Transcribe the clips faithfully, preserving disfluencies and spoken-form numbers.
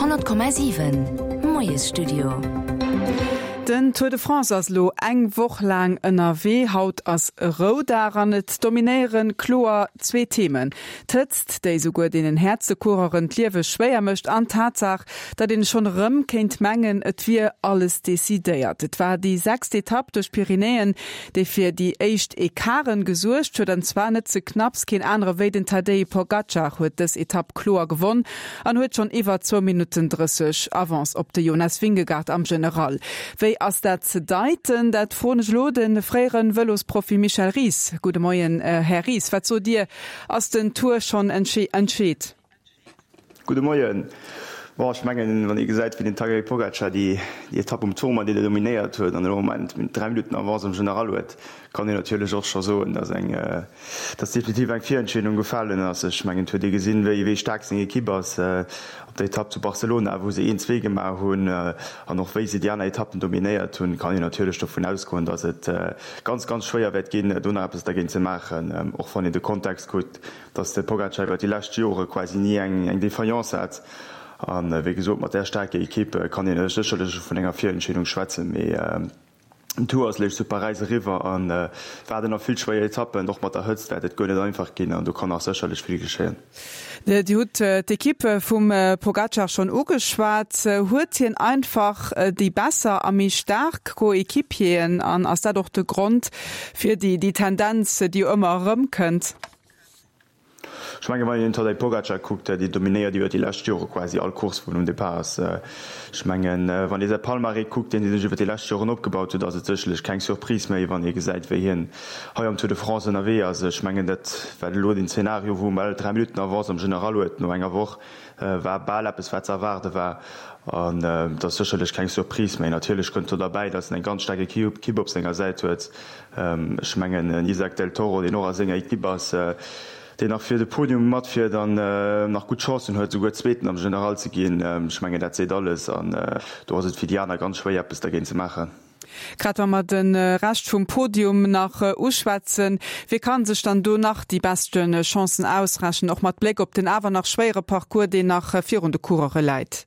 Honnert Komma siwen, Moiesstudio. Den Tour de France ass elo eng Woch laang ënnerwee. Haut ass Roudag an et dominéiere kloer zwee Themen, D'Hëtzt, déi souguer deenen häertste Coureuren d'Liewe schwéier mécht an d'Tatsaach, datt een schonn erëm kéint mengen, et wier alles decidéiert. Et war déi sechst Etapp duerch d'Pyrenäen, déi fir déi éischt Ecarten gesuergt huet, an zwar net ze knapps. Keen anere wéi den Tadej Pogacar huet dës Etapp kloer gewonn an huet schonn iwwer zwou Minutten drësseg Avance op de Jonas Vingegaard am General. Wéi ass dat ze deiten? Dat froen ech elo de fréiere Vëlosprofi Michel Ries. Gudde Moien, Här Ries. Wat sot Dir, ass den Tour schonn entscheet? Gudde Moien. Bon, ech mengen, wann ee gesäit, wéi den Tadej Pogacar déi Etapp um Tourmalet dominéiert huet an elo am Moment dräi Minutten Avance am General huet, kann een natierlech och scho soen, dass eng, dass definitiv eng Virentscheedung gefalen ass. Ech mengen, et huet ee gesinn, wéi, wéi staark seng Ekipp ass op der Etapp zu Barcelona, wou se een, zwee gemaach hunn an och wéi se déi aner Etappen dominéiert hunn, kann een natierlech dovun ausgoen, dass et ganz, ganz schwéier wäert ginn, do nach eppes dergéint ze maachen, och wann een de Kontext kuckt, dass de Pogacar iwwer déi lescht Jore quasi ni eng, eng Defaillance hat. A wéi gesot, mat där staarker Ekipp kann een sécherlech vun enger Virentscheedung schwätzen. Mee den Tour ass léischt zu Paräis eriwwer an et waarden nach vill schwéier Etappen. Och mat der Hëtzt wäert et guer net einfach ginn an do kann nach sécherlech vill geschéien. Dir hutt d'Ekipp vum Pogacar schonn ugeschwat. Huet hien einfach déi besser a méi staark Coéquipieren an ass dat och de Grond fir déi Tendenz, déi jo ëmmer erëmkënnt? Ech mengen, wann een den Tadej Pogacar kuckt, deen dominéiert iwwer déi lescht Jore quasi all Course, wou en um Depart ass. Ech mengen, wann ee säi Palmarès kuckt, deen hie sech iwwer déi lescht Joren opgebaut huet, ass et sécherlech keng Surprise méi, wann ee gesäit, wéi hien hei am Tour de France ënnerwee ass. Ech mengen, dat war elo den Zeenario, wou en bal dräi Minutten Avance am General huet no enger Woch, war bal eppes, wat ze erwaarde war. An et ass sécherlech keng Surprise méi. Natierlech kënnt do derbäi, datt en eng ganz staark Ekipp op senger Säit huet. Ech mengen, en Isaac del Toro, deen och a senger Ekipp ass, deen nach fir de Podium matfiert an nach gutt Chancen huet, souguer Zweeten am General ze ginn. Ech mengen, dat seet alles an do ass et fir déi aner ganz schwéier, eppes dergéint ze maachen. Grad wa mer de Rescht vum Podium nach uschwätzen, wie kann sech dann do nach déi beschte Chancen ausrechnen, och mat Bléck op den awer nach schwéiere Parcours, deen nach virun de Coureure läit?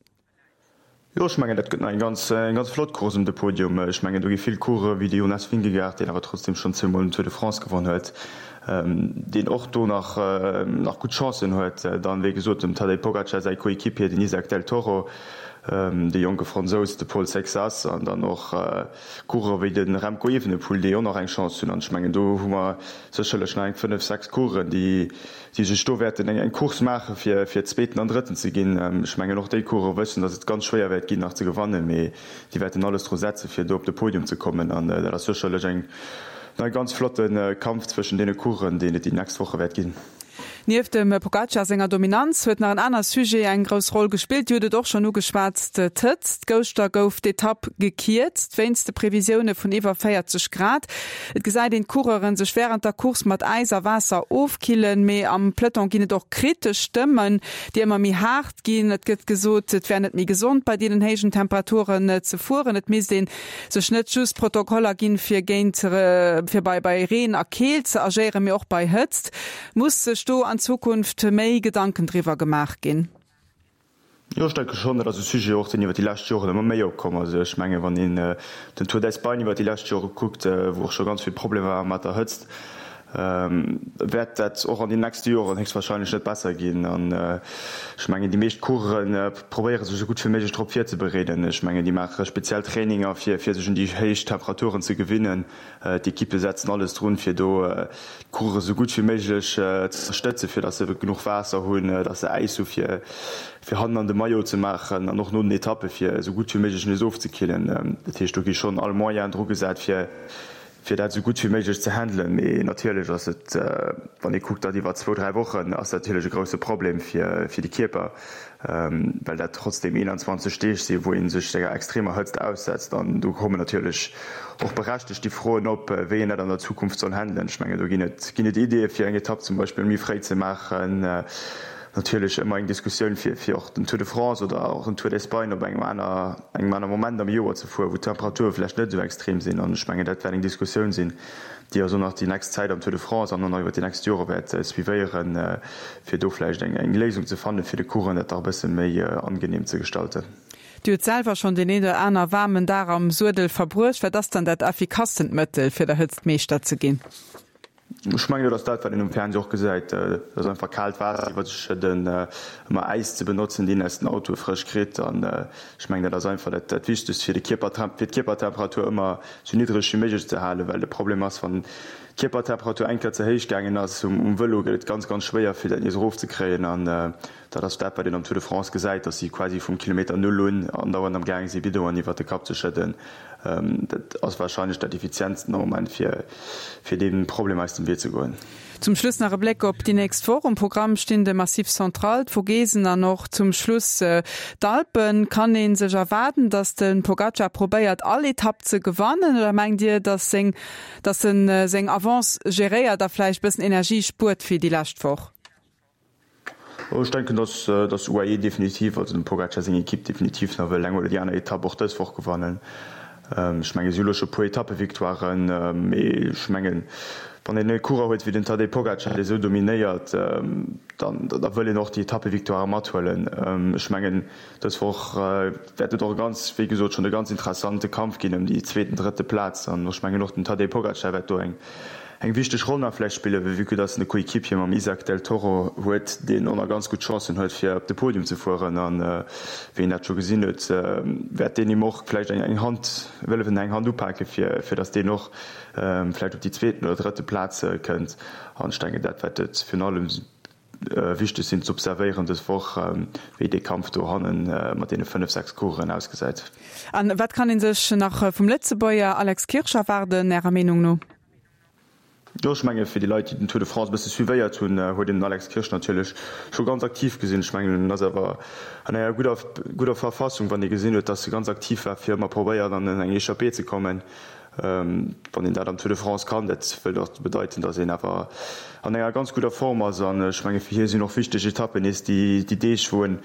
Jo, ech mengen, dat gëtt nach eng ganz, eng ganz flott Course ëm de Podium. Ech mengen, do gi vill Coureuren, wéi de Jonas Vingegaard, deen awer trotzdem schonn zweemol den Tour de France gewonn huet, deen och do nach, nach gutt Chancen huet. Dann, wéi gesot, dem Tadej Pogacar säi Coéquipier, den Isaac del Toro, de jonke Fransous, de Paul Seixas an dann och Coureuren wéi de Remco Evenepoel, déi och nach eng Chance hunn. An ech mengen, do hu mer sécherlech nach eng fënnef, sechs Coureuren, déi, déi sech do wäerten eng Course maache fir fir Zweeten an Drëtten ze ginn. Ech mengen och déi Coureuren wëssen, datt et ganz schwéier wäert ginn nach ze gewannen, mee déi wäerten alles dru setze fir do op de Podium ze kommen an dat ass sécherlech eng e ganz flotte Kampf zwëschen deene Coureuren, deen et déi nächst Woche wäert ginn. Nieft dem Pogacar senger Dominanz huet nach en aner Sujet eng grouss Roll gespillt. Dir hutt et och schonn ugeschwat, d'Hëtzt. Gëschter gouf d'Etapp gekierzt wéinst de Previsioune vun iwwer véierzeg Grad. Et gesäit een d'Coureuren sech wärend der Course mat Äis a Waasser ofkillen, mee am Peloton ginn et och kritesch Stëmmen, déi ëmmer méi haart ginn. Et gëtt gesot, et wär net méi gesond bei deenen héijen Temperaturen ze fueren. Et misst ee sech net just Protokoller ginn, fir géint fir bei bei Reen a Keelt ze agéieren, mee och bei Hëtzt. Muss sech do an Zukunft méi Gedanken driwwer gemaach ginn? Jo, ech denke schonn, dat ass e Sujet och, deen iwwer déi lescht Joren ëmmer méi opkomm ass. Ech mengen, wann een den Tour d'Espagne iwwer déi lescht Jore kuckt, wou och scho ganz vill Problemer ware mat der Hëtzt, wäert dat och an den nächste Joren héchstwahrscheinlech net besser ginn. An ech mengen, déi meescht Coureuren probéiere sech esou gutt wéi méiglech drop virzebereeden. Ech mengen, déi maache speziell Traininger, fir sech un déi héich Temperaturen ze gewinnen. D'Ekippe setzen alles drun, fir do d'Coureuren esou gutt wéi méiglech ze ënnerstëtzen, fir datt se genuch Waasser hunn, datt se Äis hu fir fir hannen an de Maillot ze maachen an och no den Etappe fir esou gutt wéi méiglech nees ofzekillen. Dat heescht, do gi schonn all Moyen dru gesat, fir fir dat esou gutt wéi méiglech ze handelen. Mee natierlech ass et, wann ee kuckt, dat iwwer zwou, dräi Wochen, ass dat natierlech e grousse Problem fir fir de Kierper, well dat trotzdeem eenanzwanzeg Deeg sinn, wou ee sech enger extremer Hëtzt aussetzt. An do kommen natierlech och berechtegt déi Froen op, wéi een dat an der Zukunft soll handelen. Ech mengen, do ginn et ginn et Ideeë fir eng Etapp zum Beispill méi fréi ze maachen, natierlech ëmmer eng Diskussioun fir fir och den Tour de France oder och den Tour d'Espagne op engem aner engem aner Moment am Joer ze fueren, wou d'Temperature vläicht net esou extrem sinn. An ech mengen, dat wäert eng Diskussioun sinn, déi eis och nach déi nächst Zäit am Tour de France an och nach iwwer déi nächst Jore wäert suivéieren, fir do vläicht eng eng Léisung ze fannen, fir de Coureuren dat dach e bësse méi angenehm ze gestalten. Dir hutt selwer schonn deen een oder aner waarmen Dag am Suedel verbruecht. Wat ass dann dat effikastent Mëttel, fir der Hëtzt Meeschter ze ginn? Ech mengen, dat ass dat, wat een um Fernseh och gesäit, dat ass einfach kaalt Waasser iwwer sech schëdden, ëmmer Äis ze benotzen, deen een aus den Autoe frësch kritt. An ech mengen, dat ass einfach dat dat Wichtegst, fir de Kierper, fir d'Kierpertemperatur ëmmer esou niddreg wéi méiglech ze halen, well de Problem ass, wann d'Kierpertemperatur eng Kéier ze héich gaangen ass um Vëlo, gëtt et ganz, ganz schwéier, fir dat nees erofzekréien. An dat ass dat, wat een am Tour de France gesäit, dass si quasi vum Kilometer Null un andauernd am gaange si Bidongen iwwert de Kapp ze schëdden. Dat ass warscheinlech dat effizientsten am Moment, fir fir deem Problem aus dem Wee ze goen. Zum Schluss nach e Bléck op déi nächst Woch. Um Programm stinn de Massif Central, d'Vogesen an och zum Schluss d'Alpen. Kann ee sech erwaarden, datt de Pogacar probéiert, all Etapp ze gewannen oder mengt Dir, datt seng datt en seng Avance geréiert a vläicht bëssen Energie spuert fir déi lescht Woch? Ech denken, dass dass U A E definitiv, also dem Pogacar seng Ekipp definitiv nach wëll eng oder déi aner Etapp och dës Woch gewannen. Ech mengen, si hu lo scho puer Etappevictoiren, mee ech mengen, wann een e Coureur huet wéi den Tadej Pogacar, dee sou dominéiert, dann da wëll een och déi Etappevictoire mathuelen. Ech mengen, dës Woch wäert et och e ganz, wéi gesot schonn, e ganz interessante Kampf ginn ëm déi zweeten, drëtte Plaz an ech mengen och den Tadej Pogacar wäert do eng eng wichteg Roll nach vläicht spillen, vue que dass en e Coéquipier mam Isaac del Toro huet, deen och nach ganz gutt Chancen huet, fir op de Podium ze fueren. An wéi een dat scho gesinn huet, wäert deen him och vläicht eng Hand wëllen eng Hand upake fir fir dass deen och vläicht op déi zweeten oder drëtte Plaz kënnt. An ech denken, dat wäert et virun allem wichteg sinn ze observéieren dës Woch, wéi dee Kampf do hannen mat deene fënnef, sechs Coureuren ausgesäit. An wat kann ee sech nach vum Lëtzebuerger Alex Kirsch erwaarden, Ärer Meenung no? Jo, ech menge fir déi Leit, déi den Tour de France e bësse suivéiert hunn, huet een den Alex Kirsch natierlech scho ganz aktiv gesinn. Ech mengen, en ass awer an enger gudder, gudder Verfassung, wann ee gesinn huet, datt e ganz aktiv war, fir ëmmer probéiert an eng Echappée ze kommen. Wann een dat am Tour de France kann, dat wëllt och bedeiten, datt een awer an enger ganz gudder Form ass. An ech menge fir hie sinn och wichteg Etappen nees déi Deeg, wou en,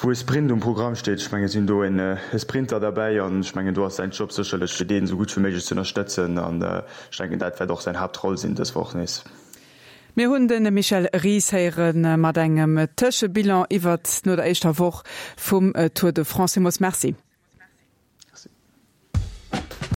wou e Sprint um Programm steet. Ech mengen, et sinn do e Sprinter derbäi an ech mengen, do ass säin Job sécherlech, fir deen esou gutt wéi méiglech ze ënnerstëtzen an ech denken, dat wäert och säin Haaptroll sinn dës Woch nees. Mir hunn de Michel Ries héiere mat engem Tëschebilan iwwert no der éischter Woch vum Tour de France. Villmools Merci.